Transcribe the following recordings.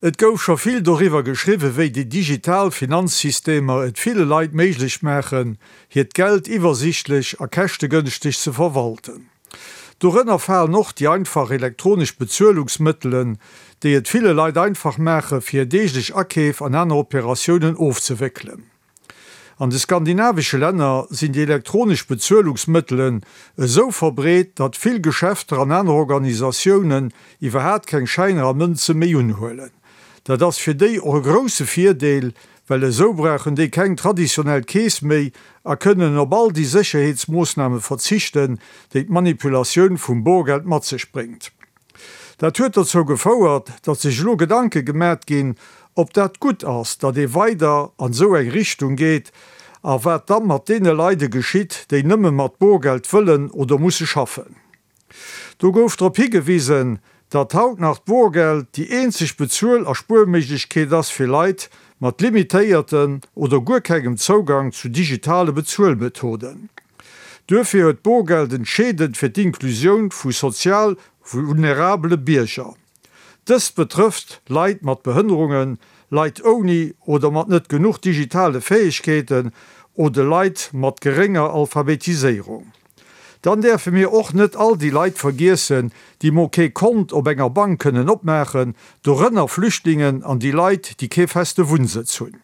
Et gouf scho vill doriwwer geschriwwen, wéi déi digital Finanzsystemer et ville Leit méiglech maachen, hiert Geld iwwersichtlech a käschtegënschteg ze verwalten. Dorënner falen och déi einfach elektronesch Bezuelungsmëttelen, déi et ville Leit einfach maachen, fir hir deeglech Akeef an aner Operatiounen ofzewéckelen. An de skandinavesche Länner sinn déi elektronesch Bezuelungsmëttelen esou verbreet, datt vill Geschäfter an aner Organisatiounen iwwerhaat keng Schäiner a Mënze méi unhuelen. Dat ass fir déi och e grousse Virdeel, well esou brauchen déi keng traditionell Keess méi a kënnen op all déi Sécherheetsmoossname verzichten, déi d'Manipulatioun vum Borgeld mat sech bréngt. Dat huet dozou gefouert, datt sech elo Gedanke gemat ginn, ob dat gutt ass, datt ee weider an esou eng Richtung geet a wat da mat deene Leide geschitt, déi nëmme mat Borgeld wëllen oder musse schaffen. Do gouf drop higewisen, datt haut nach d'Borgeld déi eenzeg Bezuel a Spuerméiglechkeet ass fir Leit mat limitéierten oder guer kengem Zougang zu digitale Bezuelmethoden. Duerfir huet d'Borgeld entscheedend fir d'Inklusioun vu sozial vulnerabele Bierger. Dëst betrëfft Leit mat Behënnerungen, Leit ouni oder mat net genuch digitale Fäegkeeten oder Leit mat gerénger Alphabetiséierung. Dann däerfe mir och net all déi Leit vergiessen, déi mol kee Kont op enger Bank kënnen opmaachen, dorënner Flüchtlingen an déi Leit, déi kee feste Wunnsëtz hunn.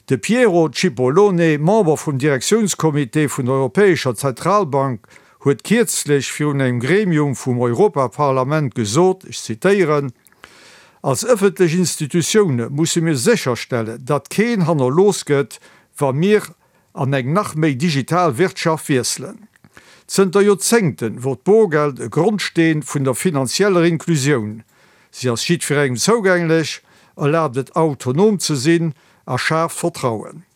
De Piero Cipollone, Member vum Direktiounscomité vun der Europäescher Zentralbank, huet kierzlech virun engem Gremium vum Europaparlament gesot, ech zitéieren, Als ëffentlech Institutioune musse mir sécherstellen, datt keen hannerlooss gëtt, wa mir an eng nach méi digital Wirtschaft wiesselen. Zënter Joerzéngten wor d'Borgeld e Grondsteen vun der finanzieller Inklusioun. Si ass jiddwerengem zougänglech, erlaabt et autonom ze sinn a schaaft Vertrauen.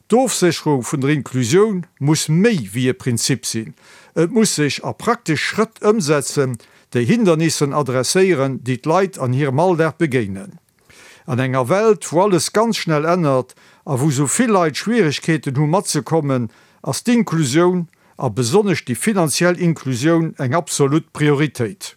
D'Ofsécherung vun der Inklusioun muss méi wéi e Prinzip sinn, et muss sech a praktesch Schrëtt ëmsetzen, déi Hindernissen adresséieren, déi d'Leit an hirem Alldag begéinen. An enger Welt, wou alles ganz schnell ännert a wou sou vill Leit Schwieregkeeten hu matzekommen, ass d'Inklusioun, a besonnesch déi finanziell Inklusioun, eng absolut Prioritéit.